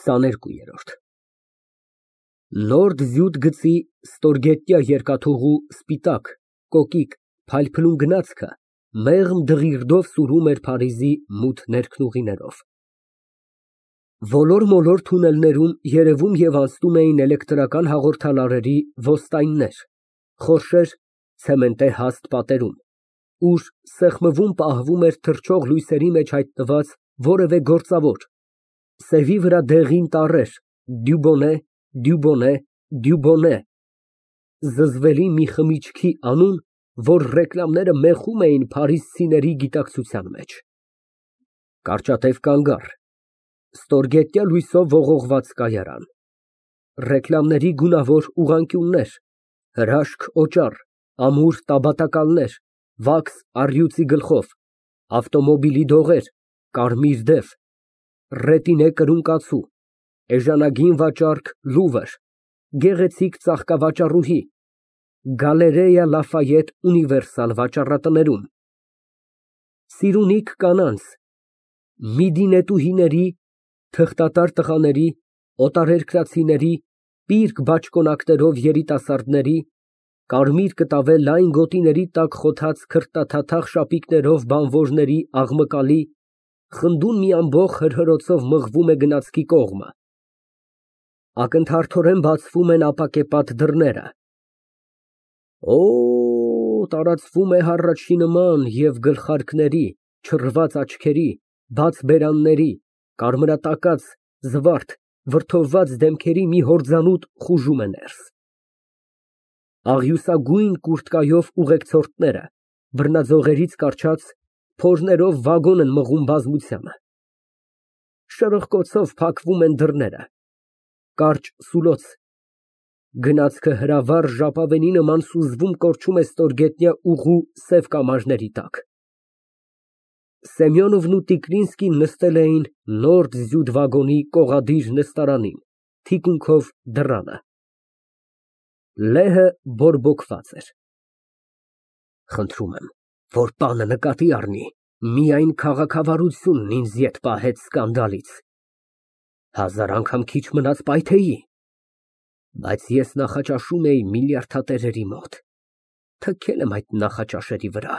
22։ Նորդ զյուտ գծի ստորգետնյա երկաթուղու սպիտակ, կոկիկ, փայլփլուն գնացքը մեղմ դղիրդով սուրում էր Փարիզի մութ ներքնուղիներով։ Ոլոր֊մոլոր թունելներում երևում և անցնում էին էլեկտրական հաղորդալարերի ոստայններ, խորշեր ցեմենտե հաստ պատերում, ուր սեղմվում պահվում էր թռչող լույսերի մեջ հայտնված որևէ գործավոր, սևի վրա դեղին տառեր, Դյուբոնե, Դյուբոնե, Դյուբոնե, զզվելի մի խմիչքի անուն, որ ռեկլամները մեխում էին փարիզցիների գիտակցության մեջ։ Կարճատև կանգառ, ստորգետնյա լույսով ողողված կայարան, ռեկլամների գունավոր ուղղանկյուններ, հրաշք օճառ, ամուր տաբատակալներ, վաքս առյուծի գլխով, ավտոմոբիլի դողեր, կարմիր դև, ռետինե կրունկացու, էժանագին վաճառք Լուվր, գեղեցիկ ծաղկավաճառուհի, Գալերեյա Լաֆայետ ունիվերսալ վաճառատներում, սիրունիկ կանանց, միդինետուհիների, թղթատար տղաների, օտարերկրացիների, պիրկ բաճկոնակներով երիտասարդների, կարմիր կտավե լայն գոտիների տակ խոթած քրտաթաթախ շապիկներով բանվորների աղմկալի, խնդուն մի ամբոխ հրհրոցով մղվում է գնացքի կողմը, ակնթարթորեն բացվում են ապակեպատ դռները։ Օ, տարածվում է հառաչի նման և գլխարկների, չռված աչքերի, բաց բերանների, կարմրատակած, զվարթ, վրդովված դեմքերի մի հորձանուտ խուժում է ներս։ Աղյուսագույն կուրթկայով ուղեկցորդները, բռնաձողերից կառչած, փորներով վագոն են մղում բազմությանը։ Շրխկոցով փակվում են դռները, կարճ սուլոց, գնացքը հրավառ ժապավենի նման սուզվում կորչում է ստորգետնյա ուղու սև կամարների տակ։ Սեմյոնովն ու Տիկլինսկին նստել էին նորդ զյուտ վագոնի կողադիր նստարանին, թիկունքով դռանը։ Լեհը բորբոքված էր։ Խնդրում եմ, որ պանը նկատի առնի, միայն քաղաքավարությունն ինձ ետ պահեց սկանդալից։ Հազար անգամ քիչ մնաց պայթեի, բայց ես նախաճաշում էի միլիարդատերերի մոտ, թքել եմ այդ նախաճաշերի վրա։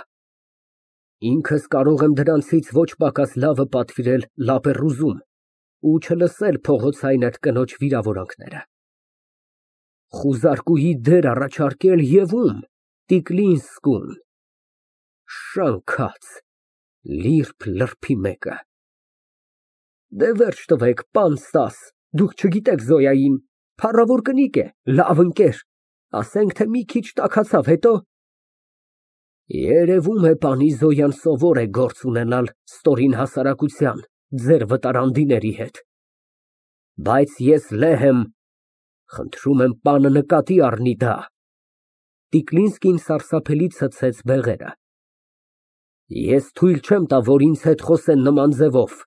Ինքս կարող եմ դրանցից ոչ պակաս լավը պատվիրել Լապերուզում ու չլսել փողոցային այդ կնոջ վիրավորանքները։ Խուզարկուի դեր առաջարկել և ում, Տիկլինսկուն, շանքած, լիրբ լրբի մեկը։ Դե վերջ տվեք, պան Ստաս, դուք չգիտեք Զոյային, փառավոր կնիկ է, լավ ընկեր, ասենք թե մի քիչ տաքացավ, հետո։ Երևում է, պանի Զոյան սովոր է գործ ունենալ ստորին հասարակության, ձեր վտարանդիների հետ։ Բայց ես լեհ եմ, խնդրում եմ պանը նկատի առնի դա։ Տիկլինսկին սարսափելի ցցեց բեղերը։ Ես թույլ չեմ տա, որ ինձ հետ խոսեն նման ձևով։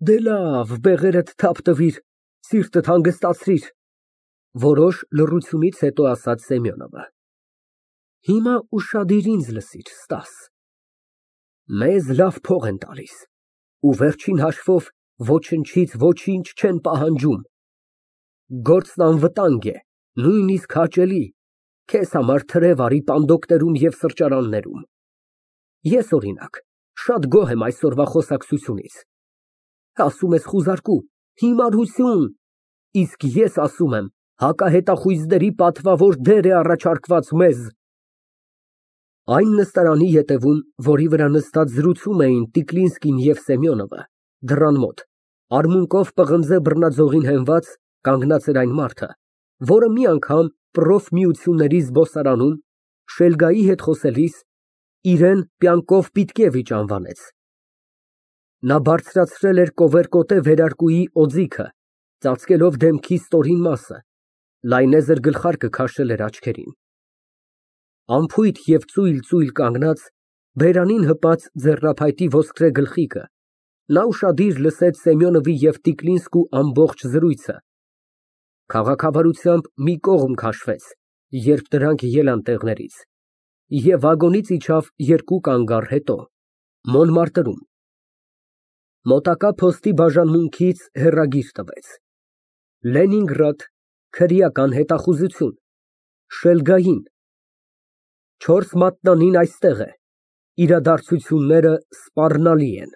Դե լավ, բեղերդ թափ տվիր, սիրտդ հանգստացրիր, որոշ լռությունից հետո ասաց Սեմյոնովը։ Հիմա ուշադիր ինձ լսիր, Ստաս։ Մեզ լավ փող են տալիս, ու վերջին հաշվով ոչնչից ոչինչ չեն պահանջում։ Գործն անվտանգ է, նույնիսկ հաճելի, քեզ համար թրև արի պանդոկներում և սրճարաններում։ Ես, օրինակ, շատ գոհ եմ այսօրվա խոսակցությունից։ Ասում ես խուզարկու, հիմարություն, իսկ ես ասում եմ, հակահետախույզների պատվավոր դեր է առաջարկված մեզ։ Այն նստարանի ետևում, որի վրա նստած զրուցում էին Տիկլինսկին և Սեմյոնովը, դռան մոտ, արմունկով պղնձե բռնաձողին հենված, կանգնած էր այն մարդը, որը մի անգամ պրոֆմիությունների զբոսարանում, Շելգայի հետ խոսելիս, իրեն Պյանկով Պիտկևիչ անվանեց։ Նա բարձրացրել էր կովերկոտե վերարկուի օձիքը, ծածկելով դեմքի ստորին մասը, լայնեզր գլխարկը քաշել էր աչքերին։ Անփույթ և ծույլ կանգնած, բերանին հպած ձեռնափայտի ոսկրե գլխիկը, նա ուշադիր լսեց Սեմյոնովի և Տիկլինսկու ամբողջ զրույցը, քաղաքավարությամբ մի կողմ քաշվեց, երբ դրանք ելան տեղներից, և վագոնից իջավ երկու կանգառ հետո, Մոնմարտրում։ Մոտակա փոստի բաժանմունքից հեռագիր տվեց։ Լենինգրադ, քրեական հետախուզություն, Շելգային, 4 մատնանին այստեղ է, իրադարձությունները սպառնալի են։